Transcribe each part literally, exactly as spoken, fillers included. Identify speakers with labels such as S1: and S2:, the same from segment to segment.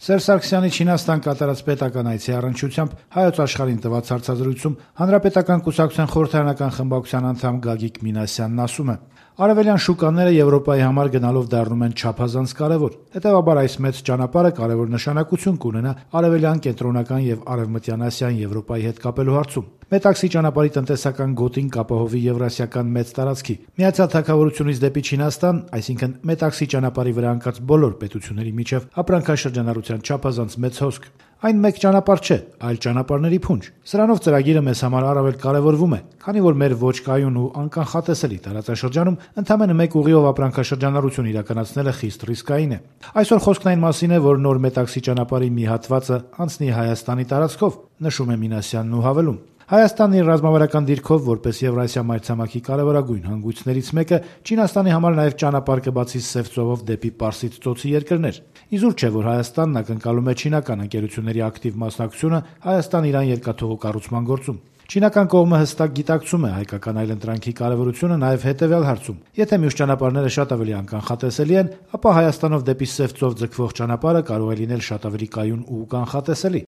S1: Սերժ Սարգսյանի Չինաստան կատարած պետական այցի առնչությամբ Հայոց Աշխարհին տված հարցազրույցում Հանրապետական կուսակցության խորհրդարանական խմբակցության անդամ Գագիկ Մինասյանն ասում է. «Արևելյան շուկաները Եվրոպայի համար գնալով դառնում են չափազանց կարևոր, հետեւաբար այս մեծ ճանապարհը կարևոր նշանակություն կունենա արևելյան, կենտրոնական եւ արևմտյան Ասիային Եվրոպայի հետ կապելու հարցում։ Մետաքսի ճանապարհի տնտեսական գոտին կապահովի Եվրասիական մեծ տարածքի, Միացյալ Թագավորությունից դեպի Չինաստան, այսինքն Մետաքսի ճանապարհի վրա ընկած բոլոր պետությունների միջև ապրանքաշրջանառության չափազանց մեծ հոսք։ Այն մեկ ճանապարհ չէ, այլ ճանապարհների փունջ։ Սրանով ծրագիրը մեզ համար առավել կարևորվում է, քանի որ մեր ոչ կայուն ու անկանխատեսելի տարածաշրջանում ընդամենը մեկ ուղիով ապրանքաշրջանառություն իրականացնելը խիստ ռիսկային է։ Այսօր խոսքն այն մասին է, որ նոր Մետաքսի ճանապարհի մի հատվածը անցնի Հայաստանի տարածքով, նշում է Մինասյանն ու հավելում. Հայաստանն իր ռազմավարական դիրքով որպես Եվրասիա մայրցամաքի կարևորագույն հանգույցներից մեկը Չինաստանի համար նաև ճանապարհ կբացի Սև ծովով դեպի Պարսից ծոցի երկրներ։ Իզուր չէ, որ Հայաստանն ակնկալում է չինական ընկերությունների ակտիվ մասնակցությունը Հայաստան-Իրան երկաթուղու կառուցման գործում։ Չինական կողմը հստակ գիտակցում է հայկական այլընտրանքի կարևորությունը նաև հետևյալ հարցում. եթե մյուս ճանապարհները շատ ավելի անկանխատեսելի են, ապա Հայաստանով դեպի Սև ծով ձգվող ճանապարհը կարող է լինել շատ ավելի կայուն ու կանխատեսելի։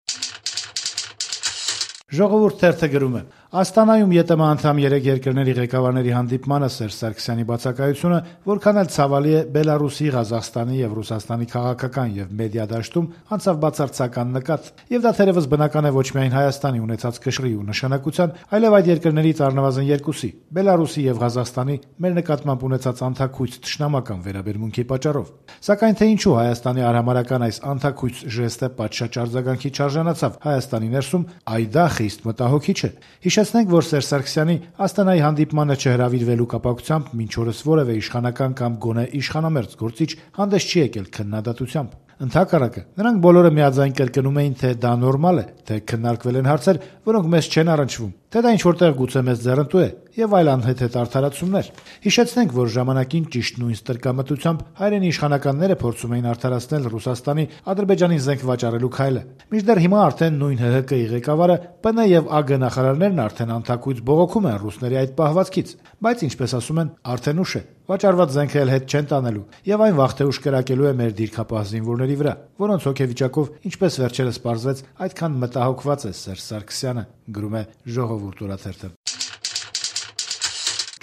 S1: Ժողովուրդ թերթը գրում է. Աստանայում ԵՏՄ անդամ երեք երկրների ղեկավարների հանդիպմանը Սերժ Սարգսյանի բացակայությունը որքան էլ ցավալի է, Բելարուսի, Ղազախստանի եւ Ռուսաստանի քաղաքական եւ մեդիա դաշտում անցավ բացարձական նկատ, եւ դա թերևս բնական է ոչ միայն Հայաստանի ունեցած կշռի ու նշանակության, այլև այդ երկրներից առնվազն երկուսի՝ Բելարուսի եւ Ղազախստանի մեր նկատմամբ ունեցած անթաքույց թշնամական վերաբերմունքի պատճառով։ Սակայն թե ինչու Հայաստանի արհամարհական այս անթաքույց ժեստը պատշաճ արձագանքի չարժանացավ Հայաստանի ներսում, այ դա խիստ մտահոգիչ է։ Հիշեցնենք, որ Սերժ Սարգսյանի Աստանայի հանդիպմանը չհրավիրվելու կապակցությամբ մինչ օրս որևէ իշխանական կամ գոնե իշխանամերձ գործիչ հանդես չի եկել քննադատությամբ։ Ընդհակառակը, նրանք բոլորը միաձայն կրկնում էին, թե դա նորմալ է, թե քննարկվել են հարցեր, որոնք մեզ չեն առնչվում, թե դա ինչ-որտեղ գուցե մեզ ձեռնտու է եւ այլ անհեթեթ արդարացումներ։ Հիշեցնենք, որ ժամանակին ճիշտ նույն ստրկամտությամբ հայրենի իշխանականները փորձում էին արդարացնել Ռուսաստանի Ադրբեջանին զենք վաճառելու քայլը։ Մինչդեռ հիմա արդեն նույն ՀՀԿ-ի ղեկավարը, ՊՆ եւ ԱԳ նախարարներն արդեն անթաքույց բողոքում են ռուսների այդ պահվածքից, բայց ինչպես ասում են, արդեն ուշ է։ Վաճառված զենքը էլ հետ չեն տանելու եւ այն վաղ թե ուշ կրակելու է մեր դիրքապահ զինվորների վրա, որոնց հոգեվիճակով, ինչպես վերջերս պարզվեց, այդքան մտահոգված է Սերժ Սարգսյանը, գրում է Ժողովուրդ օրաթերթը։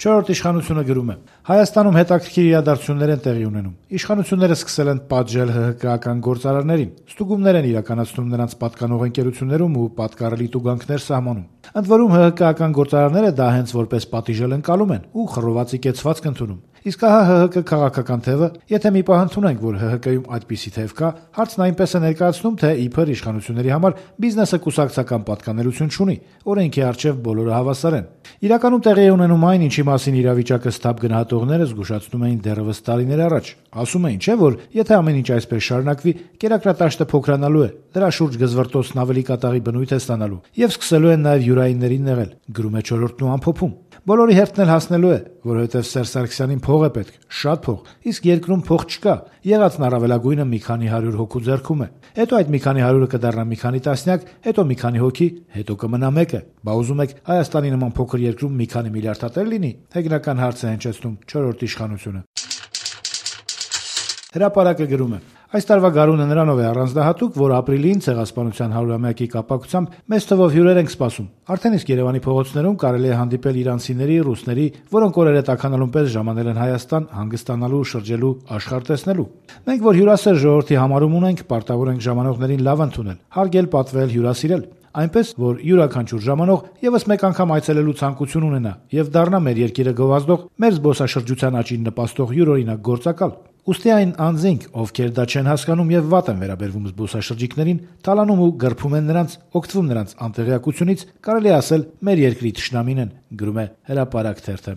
S1: Չորրորդ իշխանությունը գրում է. Հայաստանում հետաքրքիր իրադարձություններ են տեղի ունենում։ Իշխանությունները սկսել են պատժել ՀՀԿ-ական գործարարներին, ստուգումներ են իրականացնում նրանց պատկանող ընկերություններում ու պատկառելի տուգանքներ սահմանում։ Ընդ որում ՀՀԿ-ական գործարարները դա հենց որպես պատիժել ընկալում են ու խռովացի կեցվածք ընդունում։ Իսկ ահա ՀՀԿ քաղաքական թևը, եթե մի պահ ընդունենք, որ ՀՀԿ-ում այդպիսի թև կա, հարցն այնպես է ներկայացնում, թե իբր իշխանությունների համար բիզնեսը կուսակցական պատկանելություն չունի, օրենքի առջև բոլորը հավասար են։ Իրականում տեղի է ունենում այն, ինչի մասին իրավիճակը ստապ գնահատողները զգուշացնում էին դեռևս տարիներ առաջ։ Ասում էին, չէ՞ որ եթե ամեն ինչ այսպես շարունակվի, կերակրատաշտը փոքրանալու է, դրա շուրջ գզվռտոցն ավելի կատաղի բնույթ է ստանալու եւ սկսելու են նաեւ յուրայիններին նեղել, գրում է Չորրորդն ու ամփոփում։ Բոլորի հերթն էլ հասնելու է, որովհետև Սերժ Սարգսյանին փող է պետք, շատ փող, իսկ երկրում փող չկա։ Եղածն առավելագույնը մի քանի հարյուր հոգու ձեռքում է։ Հետո այդ մի քանի հարյուրը կդառնա մի քանի տասնյակ, հետո մի քանի հոգի, հետո կմնա մեկը։ Բա ուզում եք Հայաստանի նման փոքր երկրում մի քանի միլիարդատեր լինի։ Հեգնական հարց է հնչեցնում Չորրորդ իշխանությունը։ Հրապարակը գրում է. Այս տարվա գարունը նրանով է առանձնահատուկ, որ ապրիլին ցեղասպանության հարյուրամյակի կապակցությամբ մեծ թվով հյուրեր ենք սպասում։ Արդեն իսկ Երևանի փողոցներում կարելի է հանդիպել իրանցիների, ռուսների, որոնք օրերը տաքանալուն պես ժամանել են Հայաստան հանգստանալու, շրջելու, աշխարհ տեսնելու։ Մենք, որ հյուրասեր ժողովրդի համարում ունենք, պարտավոր ենք ժամանողներին լավ ընդունել, հարգել, պատվել, հյուրասիրել։ Այնպես, որ յուրաքանչյուր ժամանող եւս մեկ անգամ այցելելու ցանկություն ունենա եւ դառնա մեր երկիրը գովազդող, մեր զբոսաշրջության աճին նպաստող յուրօրինակ գործակալ։ Ուստի այն անձինք, ովքեր դա չեն հասկանում եւ վատ են վերաբերվում զբոսաշրջիկներին, թալանում ու գռփում են նրանց, օգտվում նրանց անտեղյակությունից, կարելի ասել, մեր երկրի թշնամին են, գրում է Հրապարակ թերթը։